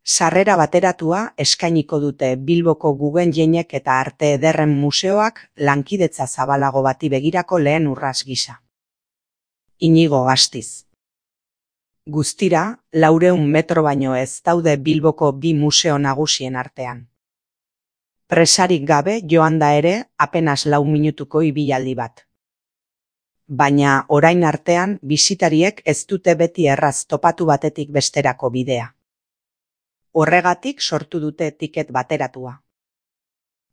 Sarrera bateratua eskainiko dute Bilboko Guggenheimek eta Arte Ederren Museoak lankidetza zabalago bati begirako lehen urrats gisa. Inigo Astiz. Guztira, 400 metro baino ez daude Bilboko bi museo nagusien artean. Presarik gabe joan da ere, apenas 4 minutuko ibilaldi bat. Baina orain artean bisitariek ez dute beti erraz topatu batetik besterako bidea. Horregatik sortu dute tiket bateratua.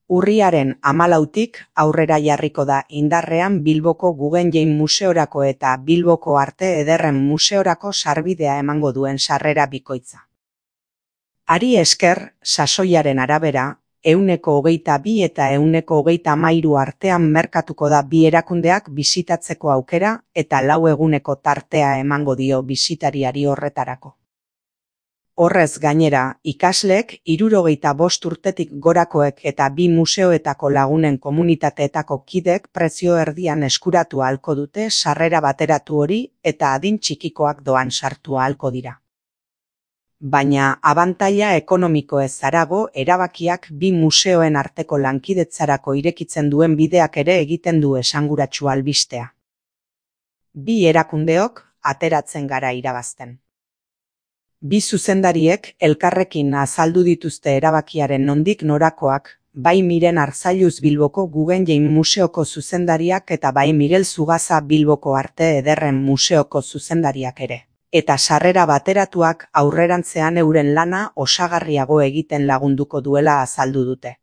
Urriaren 14tik aurrera jarriko da indarrean Bilboko Guggenheim Museorako eta Bilboko Arte Ederren Museorako sarbidea emango duen sarrera bikoitza. Hari esker, sasoiaren arabera, 122 eta 133 artean merkatuko da bi erakundeak bisitatzeko aukera eta 4 eguneko tartea emango dio bisitariari horretarako. Horrez gainera, ikasleek 65 urtetik gorakoek eta bi museoetako lagunen komunitateetako kidek prezio erdian eskuratu ahalko dute sarrera bateratu hori eta adin txikikoak doan sartu ahalko dira. Baina abantaila ekonomikoez harago erabakiak bi museoen arteko lankidetzarako irekitzen duen bideak ere egiten du esanguratsu albistea. Bi erakundeok ateratzen gara irabazten. Bi zuzendariek elkarrekin azaldu dituzte erabakiaren nondik norakoak, bai Miren Arzailuz Bilboko Guggenheim Museoko zuzendariak eta bai Miguel Zugaza Bilboko Arte Ederren Museoko zuzendariak ere. Eta sarrera bateratuak aurrerantzean euren lana osagarriago egiten lagunduko duela azaldu dute.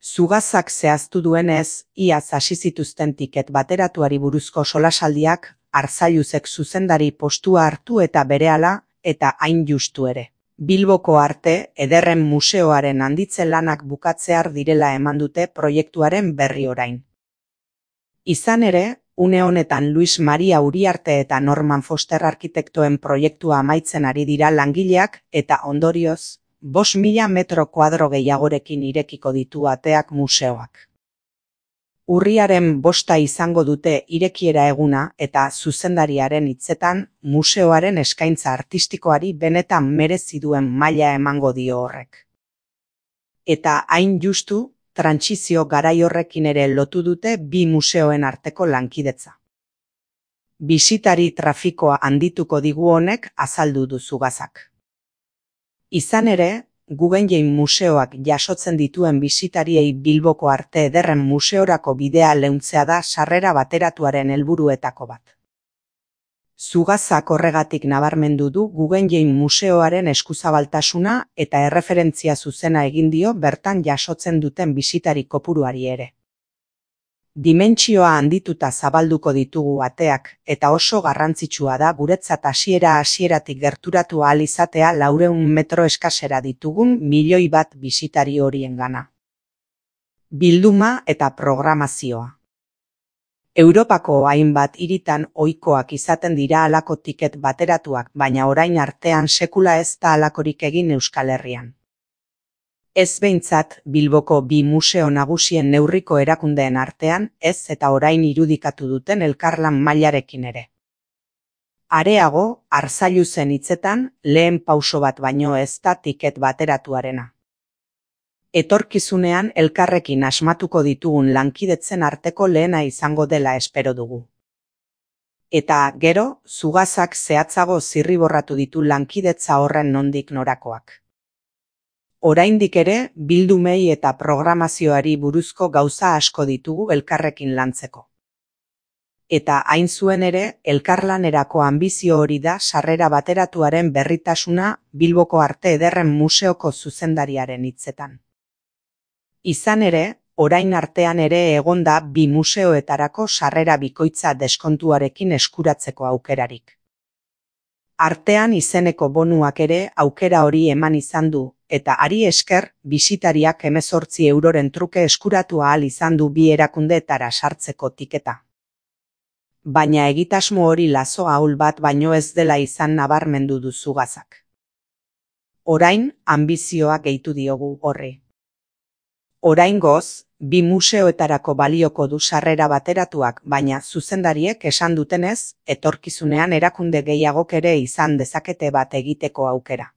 Zugazak zehaztu duenez, iaz hasi zituzten tiket bateratuari buruzko solasaldiak, Arzailuzek zuzendari postua hartu eta berehala, eta hain justu ere. Bilboko Arte Ederren Museoaren handitze lanak bukatzear direla eman dute proiektuaren berri orain. Izan ere, une honetan Luis Maria Uriarte eta Norman Foster arkitektoen proiektua amaitzen ari dira langileak eta ondorioz, 5.000 metro kuadro gehiagorekin irekiko ditu ateak museoak. Urriaren 5 izango dute irekiera eguna eta zuzendariaren hitzetan museoaren eskaintza artistikoari benetan merezi duen maila emango dio horrek. Eta hain justu, trantsizio garai horrekin ere lotu dute bi museoen arteko lankidetza. Bisitari trafikoa handituko digu honek azaldu du Zugazak. Izan ere, Guggenheim Museoak jasotzen dituen bisitariei Bilboko Arte Ederren Museorako bidea leuntzea da sarrera bateratuaren helburuetako bat. Zugazak horregatik nabarmendu du Guggenheim Museoaren eskuzabaltasuna eta erreferentzia zuzena egin dio bertan jasotzen duten bisitari kopuruari ere. Dimentsioa handituta zabalduko ditugu ateak eta oso garrantzitsua da guretzat hasieratik gerturatu ahal izatea 400 metro eskasera ditugun 1 milioi bat bisitari horiengana. Bilduma eta programazioa. Europako hainbat hiritan ohikoak izaten dira halako tiket bateratuak, baina orain artean sekula ez da halakorik egin Euskal Herrian. Ez behintzat Bilboko bi museo nagusien neurriko erakundeen artean ez eta orain irudikatu duten elkarlan mailarekin ere. Areago, Arzailuzen hitzetan, lehen pauso bat baino ez da tiket bateratuarena. Etorkizunean elkarrekin asmatuko ditugun lankidetzen arteko lehena izango dela espero dugu. Eta gero, Zugazak zehatzago zirriborratu ditu lankidetza horren nondik norakoak. Oraindik ere, bildumei eta programazioari buruzko gauza asko ditugu elkarrekin lantzeko. Eta hain zuen ere, elkarlanerako anbizio hori da sarrera bateratuaren berritasuna Bilboko Arte Ederren Museoko zuzendariaren hitzetan. Izan ere, orain artean ere egon da bi museoetarako sarrera bikoitza deskontuarekin eskuratzeko aukerarik. Artean izeneko bonuak ere aukera hori eman izan du, eta hari esker, bisitariak 18 euroren truke eskuratu ahal izan du bi erakundeetara sartzeko tiketa. Baina egitasmo hori lazo ahul bat baino ez dela izan nabarmendu du Zugazak. Orain, anbizioa gehitu diogu horri. Oraingoz, bi museoetarako balioko du sarrera bateratuak, baina zuzendariek esan dutenez, etorkizunean erakunde gehiagok ere izan dezakete bat egiteko aukera.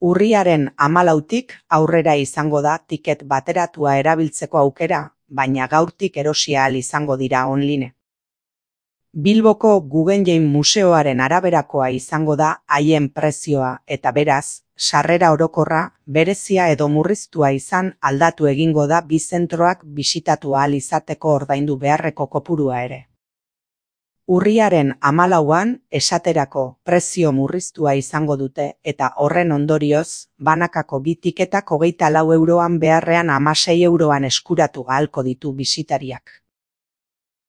Urriaren 14tik aurrera izango da tiket bateratua erabiltzeko aukera, baina gaurtik erosi ahal izango dira online. Bilboko Guggenheim Museoaren araberakoa izango da haien prezioa eta beraz, sarrera orokorra, berezia edo murriztua izan aldatu egingo da bi zentroak bisitatu ahal izateko ordaindu beharreko kopurua ere. Urriaren 14an, esaterako, prezio murriztua izango dute eta horren ondorioz, banakako bi tiketak 24 euroan beharrean 16 euroan eskuratu ahalko ditu bisitariak.